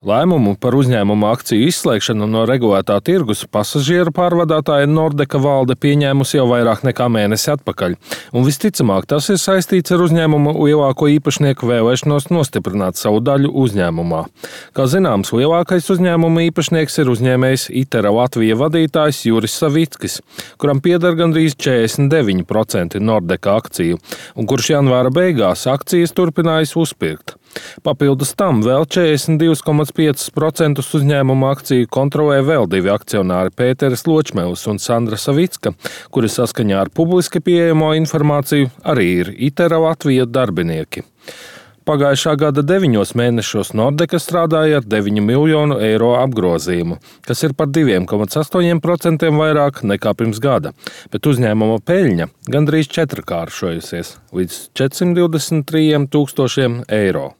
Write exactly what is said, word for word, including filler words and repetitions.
Lēmumu par uzņēmuma akciju izslēgšanu no regulētā tirgus pasažieru pārvadātāja Nordeka valde pieņēmusi jau vairāk nekā mēnesi atpakaļ. Un visticamāk, tas ir saistīts ar uzņēmuma lielāko īpašnieku vēlēšanos nostiprināt savu daļu uzņēmumā. Kā zināms, lielākais uzņēmuma īpašnieks ir uzņēmējs Itera Latvija vadītājs Juris Savickis, kuram pieder gandrīz četrdesmit deviņi procenti Nordeka akciju, un kurš janvāra beigās akcijas turpinājis uzpirkt. Papildus tam vēl četrdesmit divi komats pieci procenti uzņēmuma akciju kontrolē vēl divi akcionāri Pēteris Ločmēls un Sandra Savicka, kuri saskaņā ar publiski pieejamo informāciju arī ir Itera Latvija darbinieki. Pagājušā gada deviņos mēnešos Nordeka strādāja ar deviņu miljonu eiro apgrozījumu, kas ir par divi komats astoņi procenti vairāk nekā pirms gada, bet uzņēmuma peļņa gandrīz četrkāršojusies līdz četrsimt divdesmit trīs tūkstošiem eiro.